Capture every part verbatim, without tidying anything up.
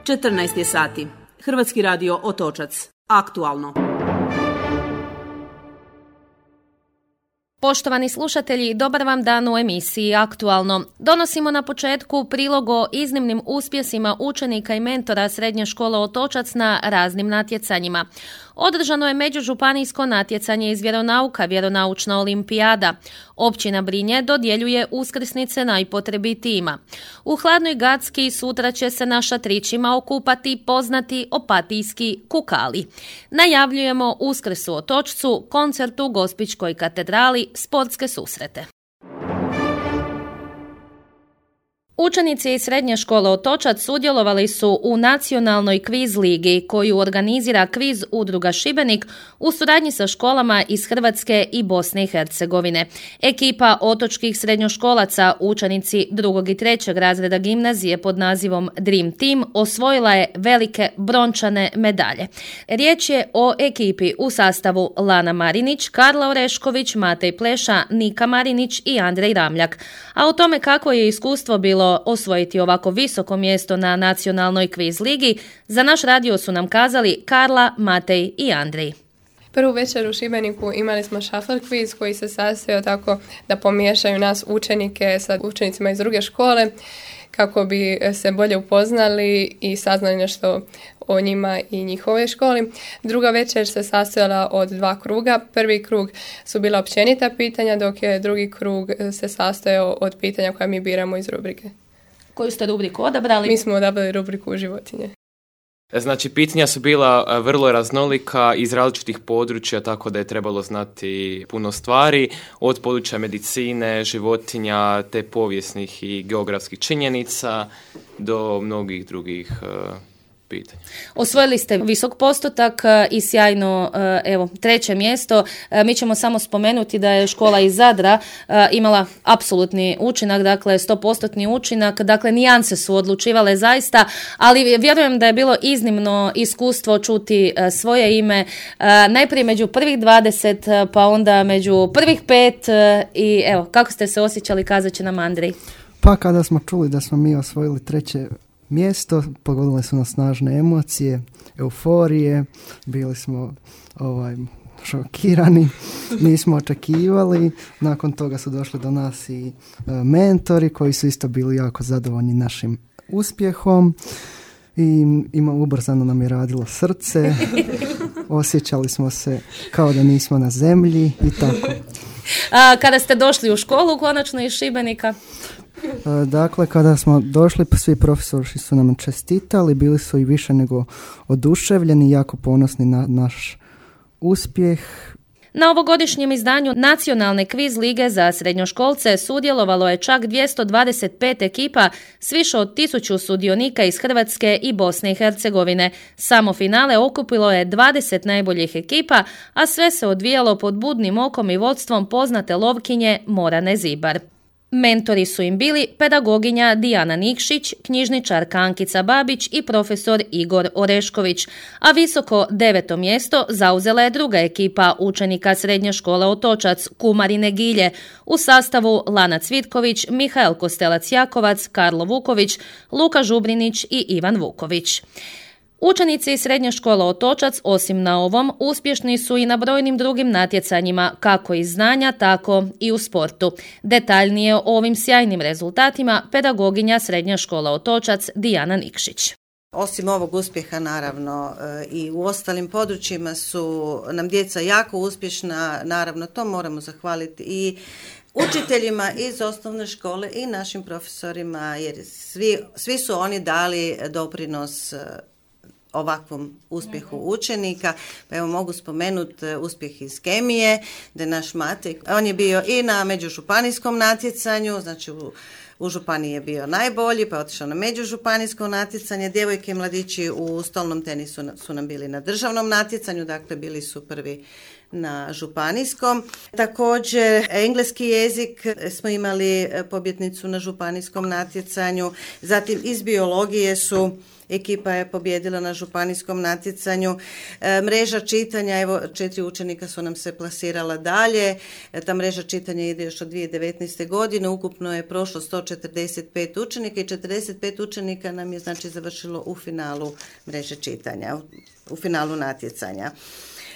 četrnaest je sati. Hrvatski radio Otočac. Aktualno. Poštovani slušatelji, dobar vam dan u emisiji Aktualno. Donosimo na početku prilog o iznimnim uspjesima učenika i mentora Srednje škole Otočac na raznim natjecanjima. Održano je međužupanijsko natjecanje iz vjeronauka, vjeronaučna olimpijada. Općina Brinje dodjeljuje uskrsnice najpotrebitijima. U Hladnoj Gacki sutra će se na šatrićima okupati poznati opatijski kukali. Najavljujemo Uskrs u Otočcu, koncert u Gospićkoj katedrali, sportske susrete. Učenici iz Srednje škole Otočac sudjelovali su u nacionalnoj kviz ligi koju organizira kviz udruga Šibenik u suradnji sa školama iz Hrvatske i Bosne i Hercegovine. Ekipa otočkih srednjoškolaca, učenici drugog i trećeg razreda gimnazije pod nazivom Dream Team, osvojila je velike brončane medalje. Riječ je o ekipi u sastavu Lana Marinić, Karla Orešković, Matej Pleša, Nika Marinić i Andrej Ramljak. A o tome kako je iskustvo bilo osvojiti ovako visoko mjesto na nacionalnoj kviz ligi, za naš radio su nam kazali Karla, Matej i Andrej. Prvu večer u Šibeniku imali smo shuffle quiz koji se sastojao tako da pomiješaju nas učenike sa učenicima iz druge škole kako bi se bolje upoznali i saznali nešto o njima i njihovoj školi. Druga večer se sastojala od dva kruga. Prvi krug su bila općenita pitanja, dok je drugi krug se sastojao od pitanja koja mi biramo iz rubrike. Koju ste rubriku odabrali? Mi smo odabrali rubriku životinje. Znači, pitanja su bila vrlo raznolika iz različitih područja, tako da je trebalo znati puno stvari, od područja medicine, životinja, te povijesnih i geografskih činjenica do mnogih drugih uh, pitanja. Osvojili ste visok postotak i sjajno, evo, treće mjesto. Mi ćemo samo spomenuti da je škola iz Zadra imala apsolutni učinak, dakle sto posto učinak, dakle nijanse su odlučivale zaista, ali vjerujem da je bilo iznimno iskustvo čuti svoje ime, najprije među prvih dvadeset, pa onda među prvih pet i evo, kako ste se osjećali, kazat će nam Andrej. Pa kada smo čuli da smo mi osvojili treće mjesto, pogodile su nas snažne emocije, euforije, bili smo ovaj, šokirani, nismo očekivali. Nakon toga su došli do nas i e, mentori koji su isto bili jako zadovoljni našim uspjehom i ima, ubrzano nam je radilo srce, osjećali smo se kao da nismo na zemlji i tako. A, kada ste došli u školu, konačno iz Šibenika? Dakle, kada smo došli, svi profesori su nam čestitali, bili su i više nego oduševljeni, jako ponosni na naš uspjeh. Na ovogodišnjem izdanju Nacionalne kviz lige za srednjoškolce sudjelovalo je čak dvjesto dvadeset pet ekipa s više od tisuću sudionika iz Hrvatske i Bosne i Hercegovine. Samo finale okupilo je dvadeset najboljih ekipa, a sve se odvijalo pod budnim okom i vodstvom poznate lovkinje Morane Zibar. Mentori su im bili pedagoginja Dijana Nikšić, knjižničarka Ankica Babić i profesor Igor Orešković, a visoko deveto mjesto zauzela je druga ekipa učenika Srednje škole Otočac, Kumarine Gilje, u sastavu Lana Cvitković, Mihael Kostelac-Jakovac, Karlo Vuković, Luka Žubrinić i Ivan Vuković. Učenici iz Srednje škole Otočac, osim na ovom, uspješni su i na brojnim drugim natjecanjima, kako iz znanja, tako i u sportu. Detaljnije o ovim sjajnim rezultatima pedagoginja Srednje škole Otočac Dijana Nikšić. Osim ovog uspjeha, naravno, i u ostalim područjima su nam djeca jako uspješna, naravno to moramo zahvaliti i učiteljima iz osnovne škole i našim profesorima, jer svi, svi su oni dali doprinos ovakvom uspjehu učenika. Pa evo mogu spomenuti uspjeh iz kemije, da je naš Matej, on je bio i na međužupanijskom natjecanju, znači u, u županiji je bio najbolji, pa je otišao na međužupanijsko natjecanje. Djevojke i mladići u stolnom tenisu su nam bili na državnom natjecanju, dakle bili su prvi na županijskom. Također engleski jezik smo imali pobjednicu na županijskom natjecanju. Zatim iz biologije su ekipa je pobjedila na županijskom natjecanju. E, mreža čitanja, evo četiri učenika su nam se plasirala dalje. E, ta mreža čitanja ide još od dvije tisuće devetnaeste. godine. Ukupno je prošlo sto četrdeset pet učenika i četrdeset pet učenika nam je znači završilo u finalu mreže čitanja, u, u finalu natjecanja.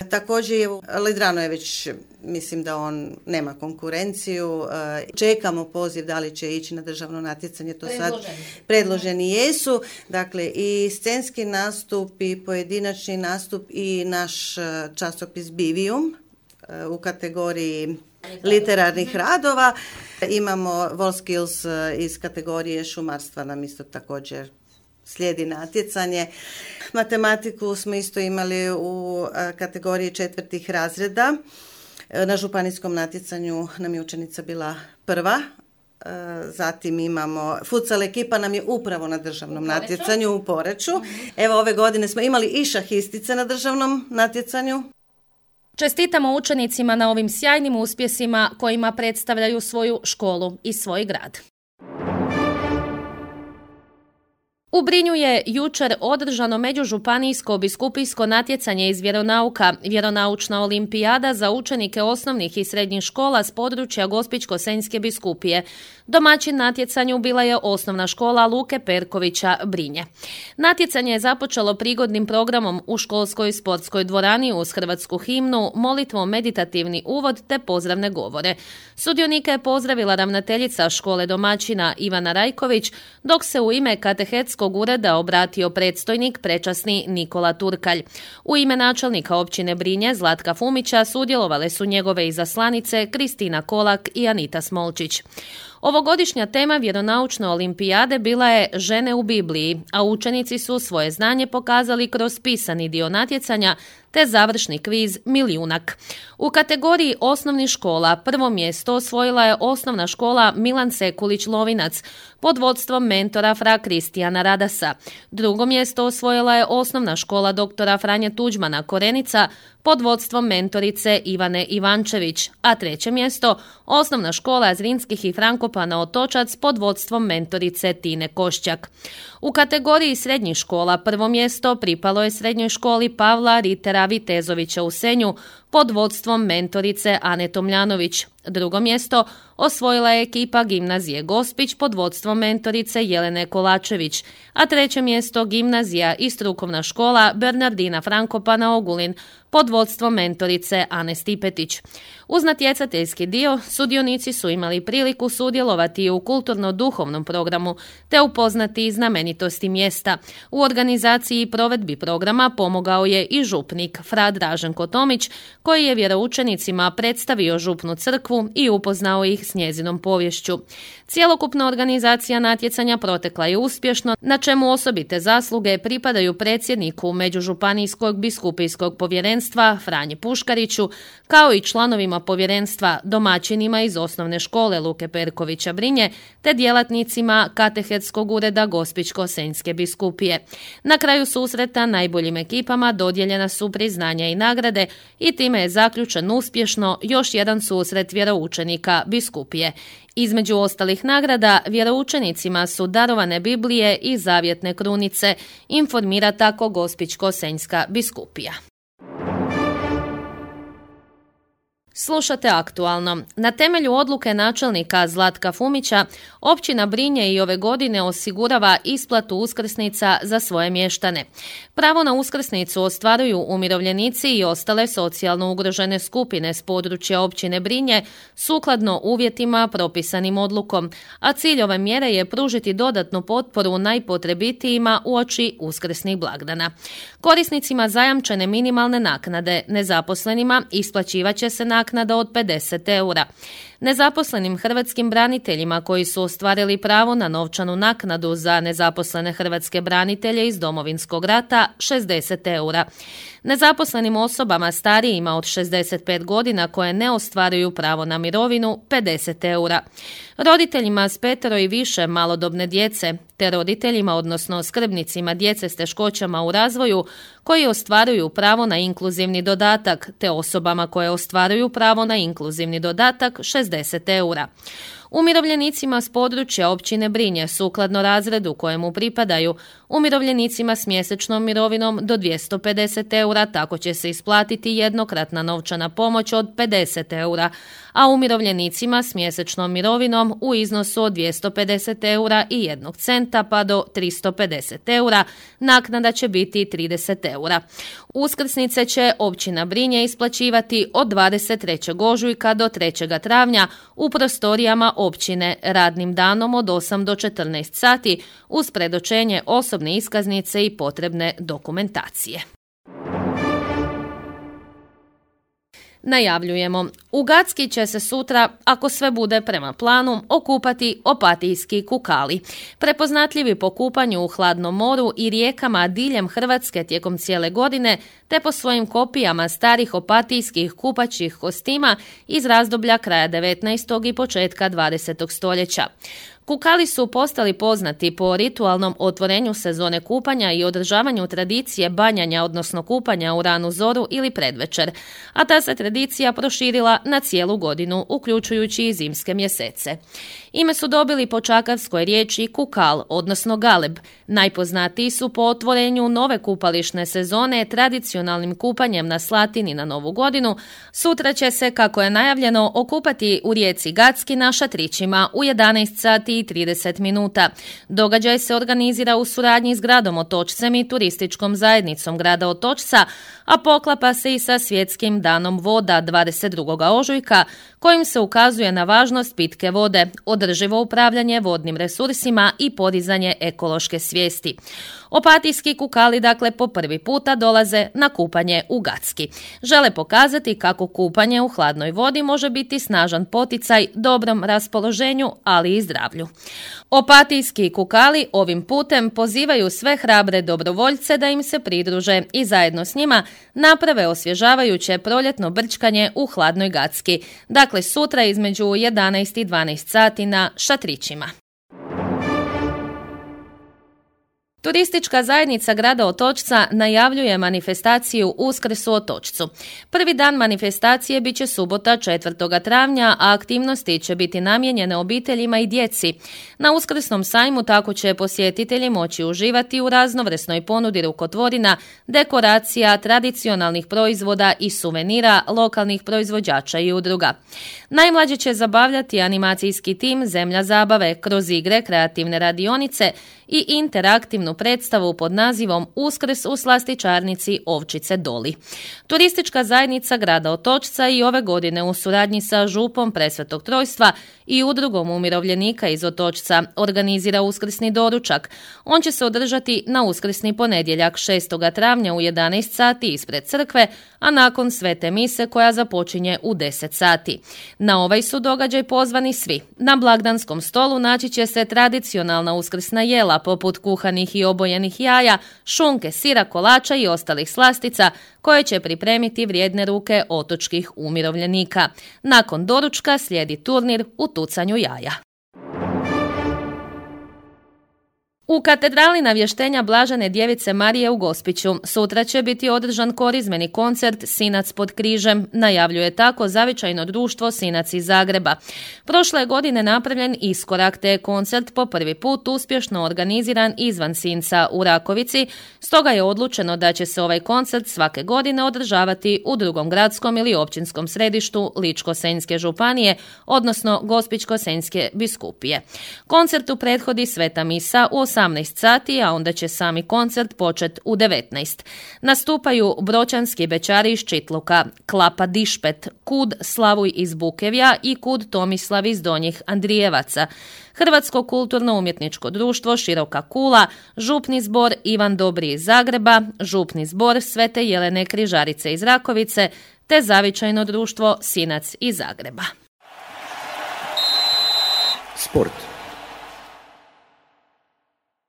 Također je Lidrano je već, mislim da on nema konkurenciju, čekamo poziv da li će ići na državno natjecanje, to sad predloženi jesu, dakle i scenski nastup i pojedinačni nastup i naš časopis Bivium u kategoriji literarnih radova. Imamo WorldSkills iz kategorije šumarstva, nam isto također slijedi natjecanje. Matematiku smo isto imali u kategoriji četvrtih razreda. Na županijskom natjecanju nam je učenica bila prva. Zatim imamo, futsal ekipa nam je upravo na državnom natjecanju u Poreču. Evo ove godine smo imali i šahistice na državnom natjecanju. Čestitamo učenicima na ovim sjajnim uspjesima kojima predstavljaju svoju školu i svoj grad. U Brinju je jučer održano međužupanijsko biskupijsko natjecanje iz vjeronauka, vjeronaučna olimpijada za učenike osnovnih i srednjih škola s područja Gospićko-senjske biskupije. Domaćin natjecanju bila je osnovna škola Luke Perkovića Brinje. Natjecanje je započelo prigodnim programom u školskoj sportskoj dvorani uz hrvatsku himnu, molitvom, meditativni uvod te pozdravne govore. Sudionike je pozdravila ravnateljica škole domaćina Ivana Rajković, dok se u ime katehetskog ureda obratio predstojnik prečasni Nikola Turkalj. U ime načelnika općine Brinje Zlatka Fumića sudjelovale su njegove izaslanice Kristina Kolak i Anita Smolčić. Ovogodišnja tema vjeronaučne olimpijade bila je Žene u Bibliji, a učenici su svoje znanje pokazali kroz pisani dio natjecanja te završni kviz Milijunak. U kategoriji osnovnih škola prvo mjesto osvojila je osnovna škola Milan Sekulić Lovinac pod vodstvom mentora fra Kristijana Radasa. Drugo mjesto osvojila je osnovna škola doktora Franje Tuđmana Korenica pod vodstvom mentorice Ivane Ivančević, a treće mjesto osnovna škola Zrinskih i Frankopana Otočac pod vodstvom mentorice Tine Košćak. U kategoriji srednjih škola prvo mjesto pripalo je srednjoj školi Pavla Ritera Vitezovića u Senju pod vodstvom mentorice Ane Tomljanović. Drugo mjesto osvojila je ekipa gimnazije Gospić pod vodstvom mentorice Jelene Kolačević, a treće mjesto gimnazija i strukovna škola Bernardina Frankopana Ogulin pod vodstvom mentorice Ane Stipetić. Uz natjecateljski dio sudionici su imali priliku sudjelovati u kulturno-duhovnom programu te upoznati znamenitosti mjesta. U organizaciji i provedbi programa pomogao je i župnik fra Draženko Tomić, koji je vjeroučenicima predstavio župnu crkvu i upoznao ih s njezinom povješću. Cjelokupna organizacija natjecanja protekla je uspješno, na čemu osobite zasluge pripadaju predsjedniku Međužupanijskog biskupijskog povjerenstva Franji Puškariću, kao i članovima povjerenstva, domaćinima iz osnovne škole Luke Perkovića Brinje, te djelatnicima katehetskog ureda Gospićko-senjske biskupije. Na kraju susreta najboljim ekipama dodijeljena su priznanja i nagrade i time je zaključen uspješno još jedan susret vjeroučenika biskupije. Između ostalih nagrada, vjeroučenicima su darovane Biblije i zavjetne krunice, informira tako Gospićko-senjska biskupija. Slušate aktualno. Na temelju odluke načelnika Zlatka Fumića, općina Brinje i ove godine osigurava isplatu uskrsnica za svoje mještane. Pravo na uskrsnicu ostvaruju umirovljenici i ostale socijalno ugrožene skupine s područja općine Brinje sukladno uvjetima propisanim odlukom, a cilj ove mjere je pružiti dodatnu potporu najpotrebitijima uoči uskrsnih blagdana. Korisnicima zajamčene minimalne naknade, nezaposlenima, isplaćivat će se naknada od pedeset eura. Nezaposlenim hrvatskim braniteljima koji su ostvarili pravo na novčanu naknadu za nezaposlene hrvatske branitelje iz Domovinskog rata šezdeset eura. Nezaposlenim osobama starijima od šezdeset pet godina koje ne ostvaruju pravo na mirovinu pedeset eura. Roditeljima s petero i više malodobne djece te roditeljima odnosno skrbnicima djece s teškoćama u razvoju koji ostvaruju pravo na inkluzivni dodatak te osobama koje ostvaruju pravo na inkluzivni dodatak šezdeset eura. Umirovljenicima s područja općine Brinje, sukladno razredu kojemu pripadaju, umirovljenicima s mjesečnom mirovinom do dvjesto pedeset eura, tako će se isplatiti jednokratna novčana pomoć od pedeset eura, a umirovljenicima s mjesečnom mirovinom u iznosu od dvjesto pedeset eura i jednog centa pa do tristo pedeset eura, naknada će biti trideset eura. Uskrsnice će općina Brinje isplaćivati od dvadeset trećeg ožujka do trećeg travnja u prostorijama općine radnim danom od osam do četrnaest sati uz predočenje osobne iskaznice i potrebne dokumentacije. Najavljujemo. U Gacki će se sutra, ako sve bude prema planu, okupati opatijski kukali. Prepoznatljivi po kupanju u hladnom moru i rijekama diljem Hrvatske tijekom cijele godine, te po svojim kopijama starih opatijskih kupaćih kostima iz razdoblja kraja devetnaestog i početka dvadesetog stoljeća. Kukali su postali poznati po ritualnom otvorenju sezone kupanja i održavanju tradicije banjanja, odnosno kupanja u ranu zoru ili predvečer, a ta se tradicija proširila na cijelu godinu, uključujući i zimske mjesece. Ime su dobili po čakavskoj riječi kukal, odnosno galeb. Najpoznatiji su po otvorenju nove kupališne sezone tradicionalnim kupanjem na Slatini na Novu godinu. Sutra će se, kako je najavljeno, okupati u rijeci Gacki na šatrićima u jedanaest sati i trideset minuta. Događaj se organizira u suradnji s gradom Otočcem i turističkom zajednicom grada Otočca, a poklapa se i sa Svjetskim danom voda dvadeset drugog ožujka, kojim se ukazuje na važnost pitke vode, održivo upravljanje vodnim resursima i podizanje ekološke svijesti. Opatijski kukali dakle po prvi puta dolaze na kupanje u Gacki. Žele pokazati kako kupanje u hladnoj vodi može biti snažan poticaj dobrom raspoloženju, ali i zdravlju. Opatijski kukali ovim putem pozivaju sve hrabre dobrovoljce da im se pridruže i zajedno s njima naprave osvježavajuće proljetno brčkanje u hladnoj Gacki. Dakle, sutra između jedanaest i dvanaest sati na šatrićima. Turistička zajednica grada Otočca najavljuje manifestaciju Uskrs u Otočcu. Prvi dan manifestacije bit će subota četvrtog travnja, a aktivnosti će biti namijenjene obiteljima i djeci. Na uskrsnom sajmu tako će posjetitelji moći uživati u raznovrsnoj ponudi rukotvorina, dekoracija, tradicionalnih proizvoda i suvenira lokalnih proizvođača i udruga. Najmlađe će zabavljati animacijski tim Zemlja zabave kroz igre, kreativne radionice i interaktivnu predstavu pod nazivom Uskrs u slastičarnici Ovčice Doli. Turistička zajednica grada Otočca i ove godine u suradnji sa župom Presvetog Trojstva i udrugom umirovljenika iz Otočca organizira uskrsni doručak. On će se održati na uskrsni ponedjeljak šestog travnja u jedanaest sati ispred crkve, a nakon svete mise koja započinje u deset sati. Na ovaj su događaj pozvani svi. Na blagdanskom stolu naći će se tradicionalna uskrsna jela poput kuhanih i obojenih jaja, šunke, sira, kolača i ostalih slastica koje će pripremiti vrijedne ruke otočkih umirovljenika. Nakon doručka slijedi turnir u tucanju jaja. U katedrali navještenja Blažene djevice Marije u Gospiću sutra će biti održan korizmeni koncert Sinac pod križem, najavljuje tako zavičajno društvo Sinac iz Zagreba. Prošle je godine napravljen iskorak te je koncert po prvi put uspješno organiziran izvan Sinca u Rakovici, stoga je odlučeno da će se ovaj koncert svake godine održavati u drugom gradskom ili općinskom središtu Ličko-senjske županije, odnosno Gospićko-senjske biskupije. Koncertu prethodi sveta misa u osamnaest sati, a onda će sami koncert početi u devetnaest. Nastupaju Bročanski bećari iz Čitluka, Klapa Dišpet, Kud Slavuj iz Bukevja i Kud Tomislav iz Donjih Andrijevaca, Hrvatsko kulturno-umjetničko društvo Široka Kula, Župni zbor Ivan Dobri iz Zagreba, Župni zbor Svete Jelene Križarice iz Rakovice, te zavičajno društvo Sinac iz Zagreba. Sport.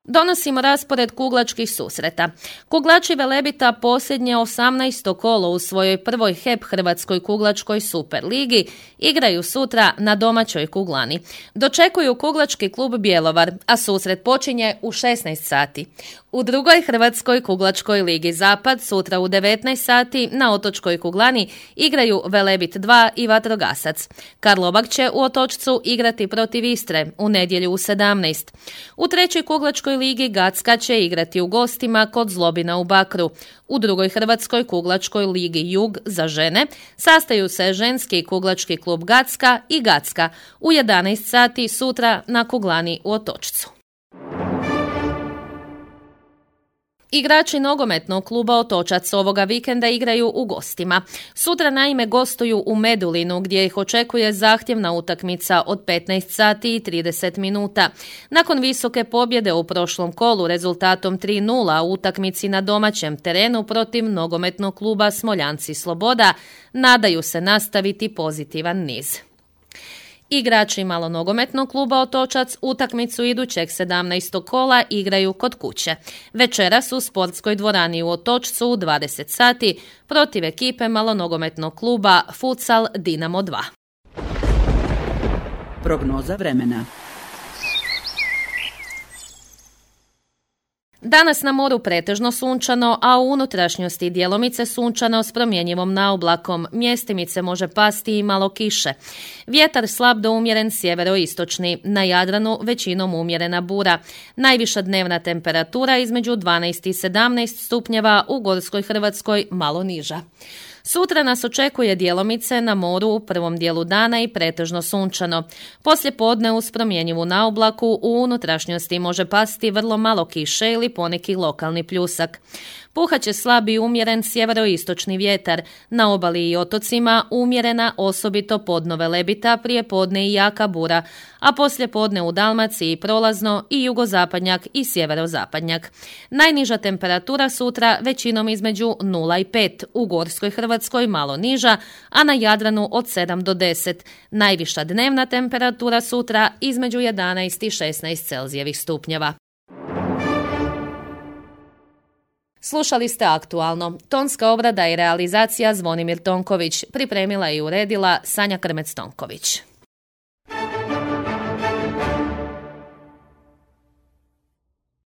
Donosimo raspored kuglačkih susreta. Kuglači Velebita posljednje osamnaesto kolo u svojoj prvoj H E P Hrvatskoj kuglačkoj superligi igraju sutra na domaćoj kuglani. Dočekuju kuglački klub Bjelovar, a susret počinje u šesnaest sati. U drugoj Hrvatskoj kuglačkoj ligi Zapad sutra u devetnaest sati na otočkoj kuglani igraju Velebit dva i Vatrogasac. Karlobag će u Otočcu igrati protiv Istre u nedjelju u sedamnaest. U trećoj kuglačkoj ligi Gacka će igrati u gostima kod Zlobina u Bakru. U drugoj Hrvatskoj kuglačkoj ligi Jug za žene sastaju se ženski kuglački klub Gacka i Gacka u jedanaest sati sutra na kuglani u Otočcu. Igrači nogometnog kluba Otočac ovoga vikenda igraju u gostima. Sutra naime gostuju u Medulinu gdje ih očekuje zahtjevna utakmica od petnaest sati i trideset minuta. Nakon visoke pobjede u prošlom kolu rezultatom tri nula u utakmici na domaćem terenu protiv nogometnog kluba Smoljanci Sloboda, nadaju se nastaviti pozitivan niz. Igrači malonogometnog kluba Otočac utakmicu idućeg sedamnaestog kola igraju kod kuće. Večeras u sportskoj dvorani u Otočcu u dvadeset sati protiv ekipe malonogometnog kluba Futsal Dinamo dva. Prognoza vremena. Danas na moru pretežno sunčano, a u unutrašnjosti djelomice sunčano s promjenjivom naoblakom. Mjestimice može pasti i malo kiše. Vjetar slab do umjeren sjeveroistočni. Na Jadranu većinom umjerena bura. Najviša dnevna temperatura između dvanaest i sedamnaest stupnjeva, u Gorskoj Hrvatskoj malo niža. Sutra nas očekuje djelomice na moru u prvom dijelu dana i pretežno sunčano. Poslije podne uz promjenjivu naoblaku u unutrašnjosti može pasti vrlo malo kiše ili poneki lokalni pljusak. Puhat će slab i umjeren sjeveroistočni vjetar. Na obali i otocima umjerena osobito podno Velebita, prije podne i jaka bura, a poslije podne u Dalmaciji prolazno i jugozapadnjak i sjeverozapadnjak. Najniža temperatura sutra većinom između nula i pet, u Gorskoj Hrvatskoj malo niža, a na Jadranu od sedam do deset. Najviša dnevna temperatura sutra između jedanaest i šesnaest Celzijevih stupnjeva. Slušali ste Aktualno. Tonska obrada i realizacija Zvonimir Tonković. Pripremila i uredila Sanja Krmec-Tonković.